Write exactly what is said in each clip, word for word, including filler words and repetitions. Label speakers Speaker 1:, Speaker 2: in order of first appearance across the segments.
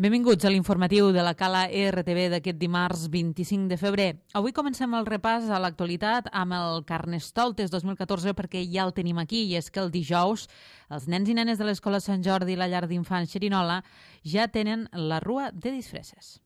Speaker 1: Benvinguts a l'informatiu de la Cala R T V d'aquest dimarts vint-i-cinc de febrer. Avui comencem el repàs a l'actualitat amb el Carnestoltes dos mil catorze perquè ja el tenim aquí, i és que el dijous els nens i nenes de l'Escola Sant Jordi i la llar d'infants Xerinola ja tenen la rua de disfresses.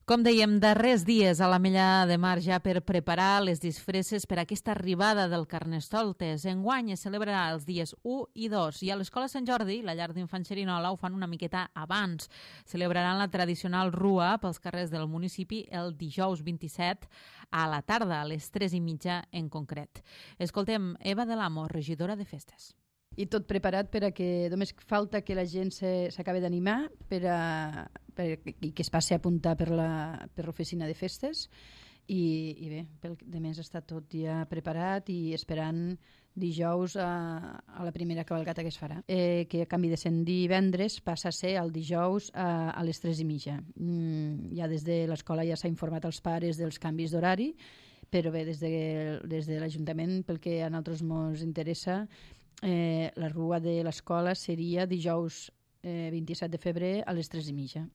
Speaker 1: Com dèiem, darrers dies a l'Ametlla de Mar ja per preparar les disfresses per a aquesta arribada del Carnestoltes. Enguany es celebrarà els dies u i dos i a l'Escola Sant Jordi, la llar d'infants Xerinola, ho fan una miqueta abans. Celebraran la tradicional rua pels carrers del municipi el dijous vint-i-set a la tarda, a les tres i mitja en concret. Escoltem Eva de l'Amo, regidora de Festes.
Speaker 2: I tot preparat per a que només falta que la gent s'acabi d'animar per a, per, i que es passi a apuntar per la, per l'oficina de festes i, i bé, pel de més està tot ja preparat i esperant dijous a, a la primera cavalcata que es farà, eh, que a canvi de ser divendres passa a ser el dijous a, a les tres i mitja. Mm, ja des de l'escola ja s'ha informat als pares dels canvis d'horari, però bé, des de, des de l'Ajuntament, pel que a nosaltres ens interessa, Eh, la rua de l'escola seria dijous eh, vint-i-set de febrer a les tres i mitja.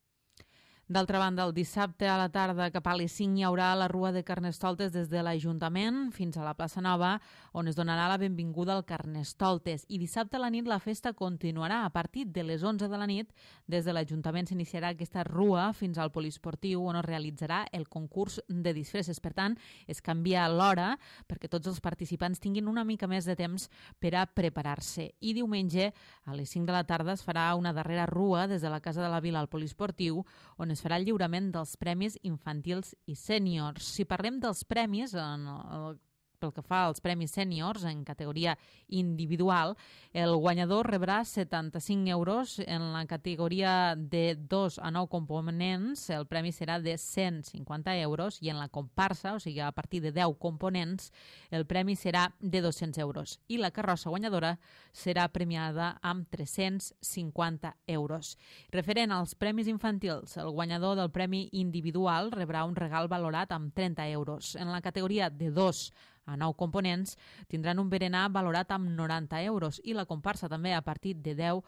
Speaker 1: D'altra banda, el dissabte a la tarda cap a les cinc hi haurà la rua de Carnestoltes des de l'Ajuntament fins a la plaça Nova, on es donarà la benvinguda al Carnestoltes. I dissabte a la nit la festa continuarà. A partir de les onze de la nit, des de l'Ajuntament s'iniciarà aquesta rua fins al poliesportiu, on es realitzarà el concurs de disfresses. Per tant, es canvia l'hora perquè tots els participants tinguin una mica més de temps per a preparar-se. I diumenge, a les cinc de la tarda, es farà una darrera rua des de la Casa de la Vila al poliesportiu, on es farà el lliurament dels premis infantils i sèniors. Si parlem dels premis, en el, pel que fa als premis sèniors en categoria individual, el guanyador rebrà setanta-cinc euros. En la categoria de dos a nou components, el premi serà de cent cinquanta euros, i en la comparsa, o sigui, a partir de deu components, el premi serà de dos-cents euros. I la carrossa guanyadora serà premiada amb tres-cents cinquanta euros. Referent als premis infantils, el guanyador del premi individual rebrà un regal valorat amb trenta euros. En la categoria de dos a nou components tindran un berenar valorat amb noranta euros, i la comparsa també a partir de deu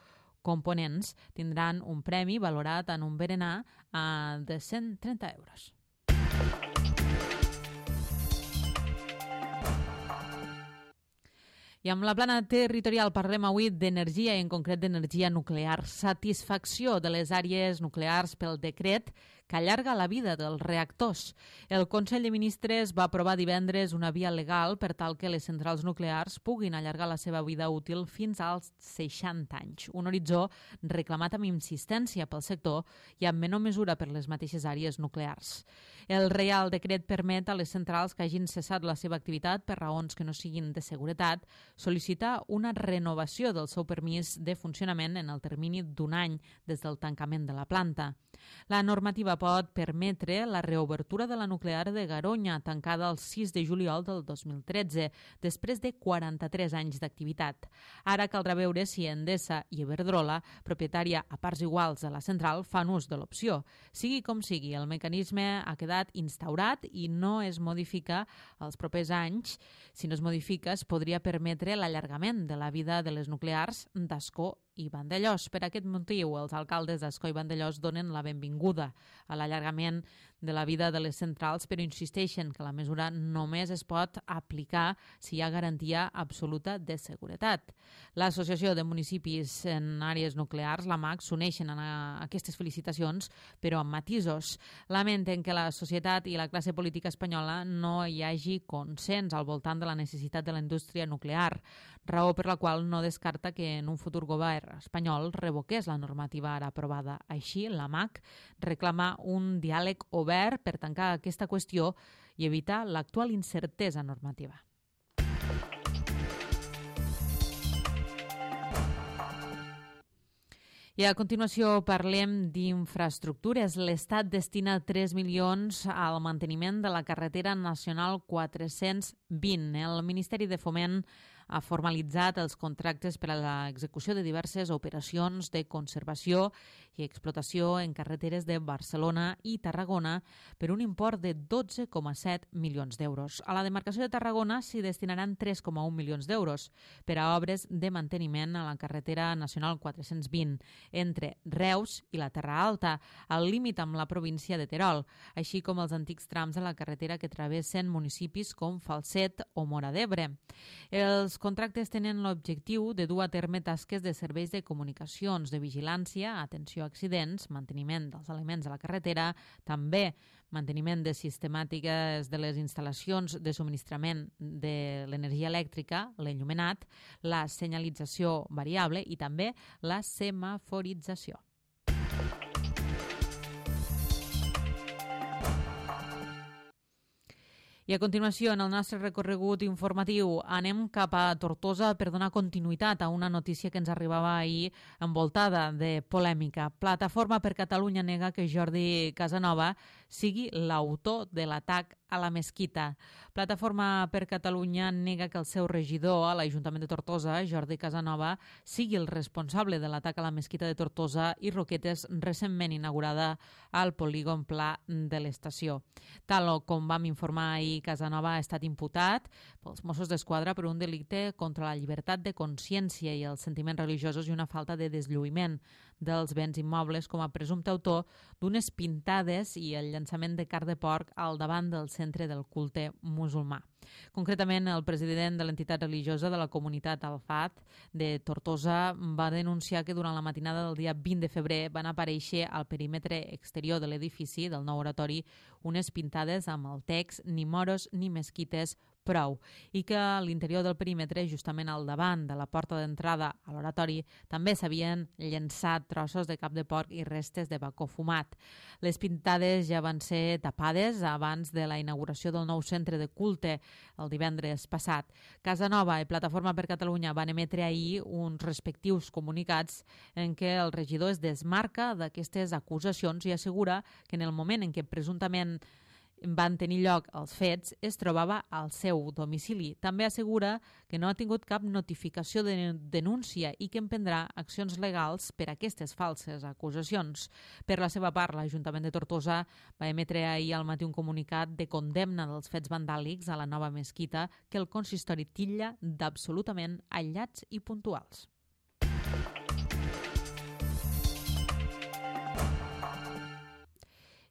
Speaker 1: components tindran un premi valorat en un berenar de cent trenta euros. I amb la plana territorial parlem avui d'energia, i en concret d'energia nuclear. Satisfacció de les àrees nuclears pel decret que allarga la vida dels reactors. El Consell de Ministres va aprovar divendres una via legal per tal que les centrals nuclears puguin allargar la seva vida útil fins als seixanta anys. Un horitzó reclamat amb insistència pel sector i en menor mesura per les mateixes àrees nuclears. El Reial Decret permet a les centrals que hagin cessat la seva activitat per raons que no siguin de seguretat sol·licitar una renovació del seu permís de funcionament en el termini d'un any des del tancament de la planta. La normativa pot permetre la reobertura de la nuclear de Garoña, tancada el sis de juliol del dos mil tretze, després de quaranta-tres anys d'activitat. Ara caldrà veure si Endesa i Iberdrola, propietària a parts iguals de la central, fan ús de l'opció. Sigui com sigui, el mecanisme ha quedat instaurat i no es modifica els propers anys. Si no es modifica, es podria permetre l'allargament de la vida de les nuclears d'Ascó i Vandellòs. Per aquest motiu, els alcaldes d'Ascó i Vandellòs donen la benvinguda a l'allargament de la vida de les centrals, però insisteixen que la mesura només es pot aplicar si hi ha garantia absoluta de seguretat. L'Associació de Municipis en Àrees Nuclears, la M A C, s'uneixen a aquestes felicitacions, però amb matisos. Lamenten que la societat i la classe política espanyola no hi hagi consens al voltant de la necessitat de la indústria nuclear, raó per la qual no descarta que en un futur govern espanyol revoqués la normativa ara aprovada. Així, la M A C reclama un diàleg obert per tancar aquesta qüestió i evitar l'actual incertesa normativa. I a continuació parlem d'infraestructures. L'Estat destina tres milions al manteniment de la carretera nacional quatre-cents vint. El Ministeri de Foment ha formalitzat els contractes per a l'execució de diverses operacions de conservació i explotació en carreteres de Barcelona i Tarragona per un import de dotze coma set milions d'euros. A la demarcació de Tarragona s'hi destinaran tres coma un milions d'euros per a obres de manteniment a la carretera nacional quatre-cents vint entre Reus i la Terra Alta, al límit amb la província de Terol, així com els antics trams de la carretera que travessen municipis com Falset o Móra d'Ebre. Els contractes tenen l'objectiu de dur a terme tasques de serveis de comunicacions, de vigilància, atenció a accidents, manteniment dels elements de la carretera, també manteniment de sistemàtiques de les instal·lacions de subministrament de l'energia elèctrica, l'enllumenat, la senyalització variable i també la semaforització. I a continuació, en el nostre recorregut informatiu, anem cap a Tortosa per donar continuïtat a una notícia que ens arribava ahir envoltada de polèmica. Plataforma per Catalunya nega que Jordi Casanova sigui l'autor de l'atac a la mesquita. Plataforma per Catalunya nega que el seu regidor a l'Ajuntament de Tortosa, Jordi Casanova, sigui el responsable de l'atac a la mesquita de Tortosa i Roquetes recentment inaugurada al polígon pla de l'estació. Tal com vam informar ahir, Casanova ha estat imputat pels Mossos d'Esquadra per un delicte contra la llibertat de consciència i els sentiments religiosos i una falta de deslluïment dels béns immobles com a presumpte autor d'unes pintades i el llançament de carn de porc al davant del centre del culte musulmà. Concretament, el president de l'entitat religiosa de la comunitat Al-Fat de Tortosa va denunciar que durant la matinada del dia vint de febrer van aparèixer al perímetre exterior de l'edifici del nou oratori unes pintades amb el text «Ni moros ni mesquites, prou», i que a l'interior del perímetre, justament al davant de la porta d'entrada a l'oratori, també s'havien llençat trossos de cap de porc i restes de bacó fumat. Les pintades ja van ser tapades abans de la inauguració del nou centre de culte el divendres passat. Casanova i Plataforma per Catalunya van emetre ahir uns respectius comunicats en què el regidor es desmarca d'aquestes acusacions i assegura que en el moment en què presumptament van tenir lloc els fets, es trobava al seu domicili. També assegura que no ha tingut cap notificació de denúncia i que emprendrà accions legals per a aquestes falses acusacions. Per la seva part, l'Ajuntament de Tortosa va emetre ahir al matí un comunicat de condemna dels fets vandàlics a la nova mesquita que el consistori titlla d'absolutament aïllats i puntuals.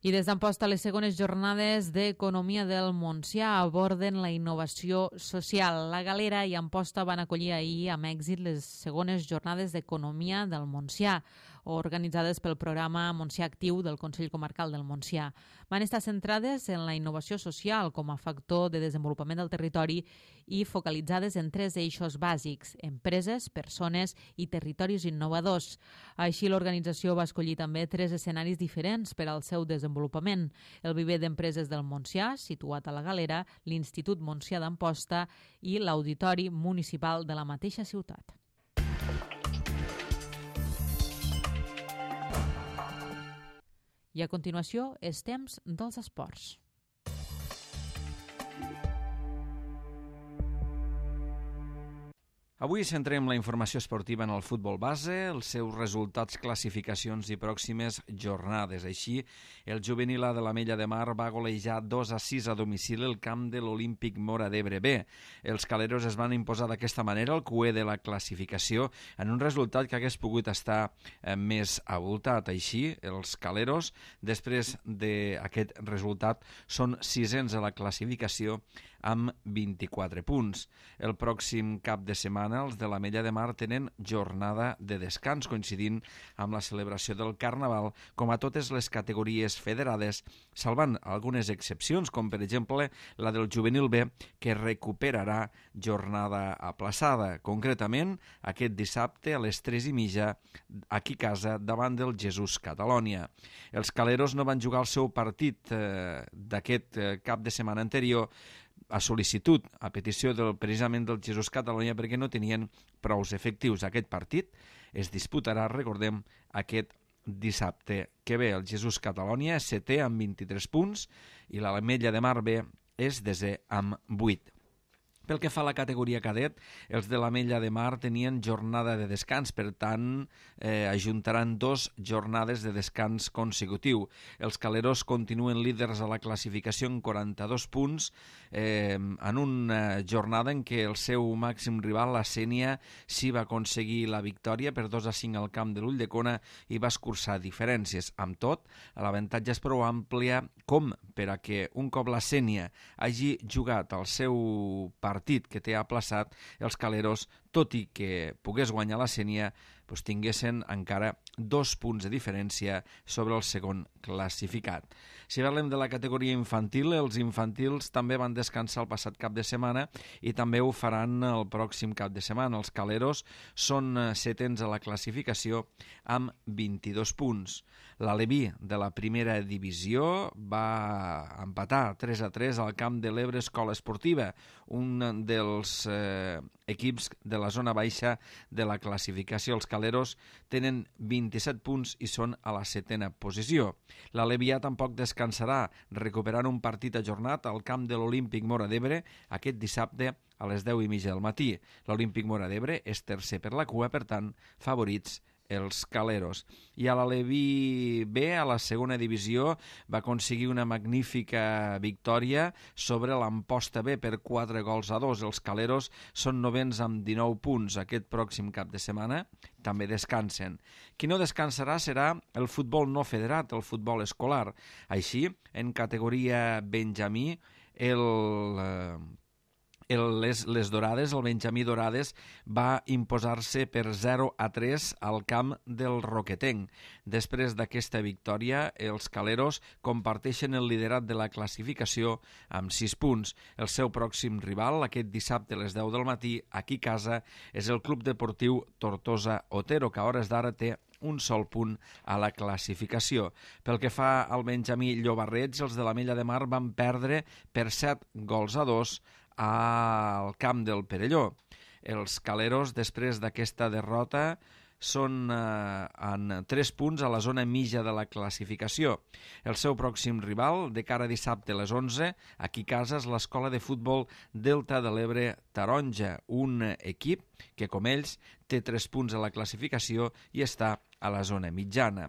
Speaker 1: I des d'Amposta, les segones jornades d'Economia del Montsià aborden la innovació social. La Galera i Amposta van acollir ahir amb èxit les segones jornades d'Economia del Montsià, organitzades pel programa Montsià Actiu del Consell Comarcal del Montsià. Van estar centrades en la innovació social com a factor de desenvolupament del territori i focalitzades en tres eixos bàsics: empreses, persones i territoris innovadors. Així, l'organització va escollir també tres escenaris diferents per al seu desenvolupament: el viver d'empreses del Montsià, situat a la Galera, l'Institut Montsià d'Amposta i l'Auditori Municipal de la mateixa ciutat. I a continuació, és temps dels esports.
Speaker 3: Avui centrem la informació esportiva en el futbol base, els seus resultats, classificacions i pròximes jornades. Així, el juvenil A de l'Ametlla de Mar va golejar dos a sis a domicili el camp de l'Olímpic Móra d'Ebre B. Els caleros es van imposar d'aquesta manera el cué de la classificació en un resultat que hagués pogut estar eh, més abultat. Així, els caleros, després d'aquest resultat, són sisens a la classificació amb vint-i-quatre punts. El pròxim cap de setmana els de l'Ametlla de Mar tenen jornada de descans, coincidint amb la celebració del Carnaval, com a totes les categories federades, salvant algunes excepcions, com per exemple la del juvenil B, que recuperarà jornada aplaçada. Concretament, aquest dissabte a les tres i mitja, aquí a casa, davant del Jesús Catalònia. Els caleros no van jugar el seu partit eh, d'aquest eh, cap de setmana anterior, a sol·licitud, a petició del, precisament del Jesús Catalònia, perquè no tenien prous efectius. Aquest partit es disputarà, recordem, aquest dissabte que ve. El Jesús Catalònia és setè amb vint-i-tres punts i l'Ametlla de Mar B és desè amb vuit. Pel que fa a la categoria cadet, els de l'Ametlla de Mar tenien jornada de descans, per tant, eh, ajuntaran dos jornades de descans consecutiu. Els caleros continuen líders a la classificació en quaranta-dos punts, eh, en una jornada en què el seu màxim rival, la Sénia, sí va aconseguir la victòria per dos a cinc al camp de l'Ulldecona i va escurçar diferències. Amb tot, l'avantatge és prou àmplia com per a que un cop la Sénia hagi jugat el seu partit que té aplaçat, els caleros, tot i que pogués guanyar la Sénia, doncs tinguessin encara dos punts de diferència sobre el segon classificat. Si parlem de la categoria infantil, els infantils també van descansar el passat cap de setmana i també ho faran el pròxim cap de setmana. Els caleros són setens a la classificació amb vint-i-dos punts. L'Aleví de la primera divisió va empatar tres a tres al camp de l'Ebre Escola Esportiva, un dels eh, equips de la zona baixa de la classificació. Els caleros tenen vint-i-set punts i són a la setena posició. L'Alevià tampoc descansarà, recuperant un partit ajornat al camp de l'Olímpic Móra d'Ebre aquest dissabte a les deu i mitja del matí. L'Olímpic Móra d'Ebre és tercer per la cua, per tant, favorits els caleros. I a l'Aleví B, a la segona divisió, va aconseguir una magnífica victòria sobre l'Amposta B per quatre gols a dos. Els caleros són novens amb dinou punts. Aquest pròxim cap de setmana també descansen. Qui no descansarà serà el futbol no federat, el futbol escolar. Així, en categoria Benjamí, el... Eh, El, les, les Dorades, el Benjamí Dorades, va imposar-se per zero a tres al camp del Roquetenc. Després d'aquesta victòria, els caleros comparteixen el liderat de la classificació amb sis punts. El seu pròxim rival, aquest dissabte a les deu del matí, aquí a casa, és el Club Deportiu Tortosa Otero, que a hores d'ara té un sol punt a la classificació. Pel que fa al Benjamí Llobarrets, els de l'Ametlla de Mar van perdre per set gols a dos al camp del Perelló. Els caleros, després d'aquesta derrota, són eh, en tres punts a la zona mitja de la classificació. El seu pròxim rival, de cara a dissabte a les onze, aquí a casa, és l'Escola de Futbol Delta de l'Ebre Taronja, un equip que, com ells, té tres punts a la classificació i està a la zona mitjana.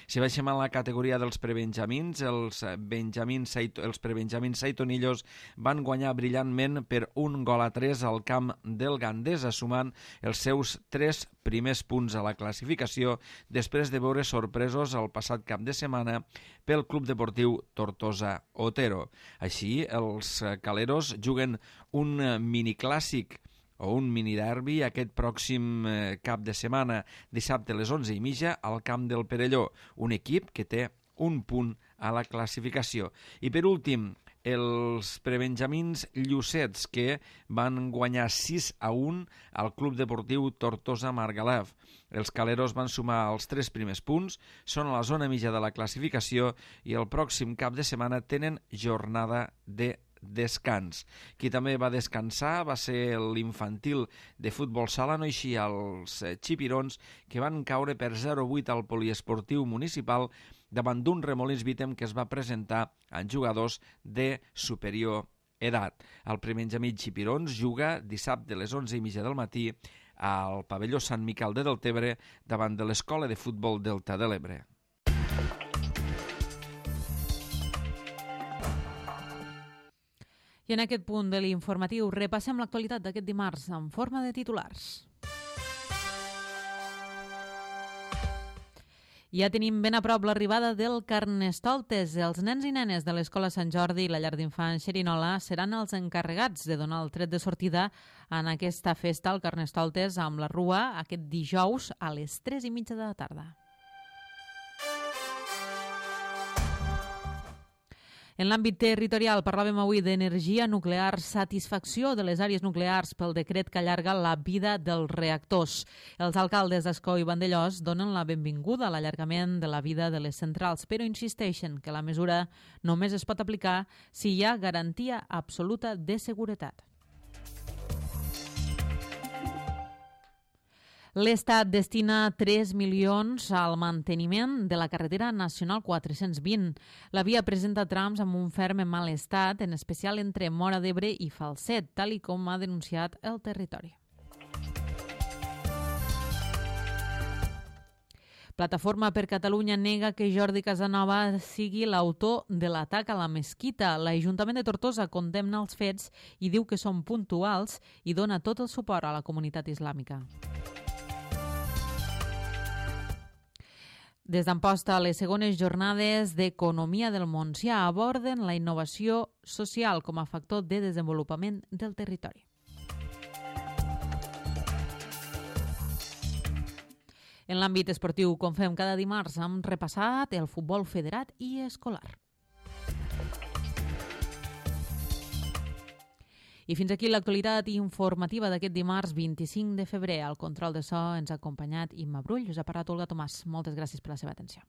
Speaker 3: Si baixem a la categoria dels prebenjamins, els, benjamins, els prebenjamins saitonillos van guanyar brillantment per un gol a tres al camp del Gandesa, sumant els seus tres primers punts a la classificació després de veure sorpresos el passat cap de setmana pel Club Deportiu Tortosa Otero. Així, els caleros juguen un miniclàssic o un miniderbi aquest pròxim eh, cap de setmana, dissabte a les onze i mitja, al camp del Perelló, un equip que té un punt a la classificació. I per últim, els prebenjamins llucets, que van guanyar sis a un al Club Deportiu Tortosa Margalef. Els caleros van sumar els tres primers punts, són a la zona mitja de la classificació i el pròxim cap de setmana tenen jornada de descans. Qui també va descansar va ser l'infantil de futbol sala, no així els xipirons, que van caure per zero a vuit al poliesportiu municipal davant d'un Remolins Vítem que es va presentar en jugadors de superior edat. El prebenjamí xipirons juga dissabte a les onze i mitja del matí al pavelló Sant Miquel de Deltebre davant de l'Escola de Futbol Delta de l'Ebre.
Speaker 1: I en aquest punt de l'informatiu repassem l'actualitat d'aquest dimarts en forma de titulars. Ja tenim ben a prop l'arribada del Carnestoltes. Els nens i nenes de l'Escola Sant Jordi i la llar d'infants Xerinola seran els encarregats de donar el tret de sortida en aquesta festa al Carnestoltes amb la Rua aquest dijous a les tres i mitja de la tarda. En l'àmbit territorial parlàvem avui d'energia nuclear, satisfacció de les àrees nuclears pel decret que allarga la vida dels reactors. Els alcaldes d'Ascó i Vandellòs donen la benvinguda a l'allargament de la vida de les centrals, però insisteixen que la mesura només es pot aplicar si hi ha garantia absoluta de seguretat. L'Estat destina tres milions al manteniment de la carretera nacional quatre-cents vint. La via presenta trams amb un ferm en mal estat, en especial entre Móra d'Ebre i Falset, tal i com ha denunciat el territori. Plataforma per Catalunya nega que Jordi Casanova sigui l'autor de l'atac a la mesquita. L'Ajuntament de Tortosa condemna els fets i diu que són puntuals i dona tot el suport a la comunitat islàmica. Des d'Amposta, les segones jornades d'Economia del Montsià aborden la innovació social com a factor de desenvolupament del territori. En l'àmbit esportiu, com fem cada dimarts, hem repassat el futbol federat i escolar. I fins aquí l'actualitat informativa d'aquest dimarts vint-i-cinc de febrer. Al control de so ens ha acompanyat Imma Brull. Us ha parlat Olga Tomàs. Moltes gràcies per la seva atenció.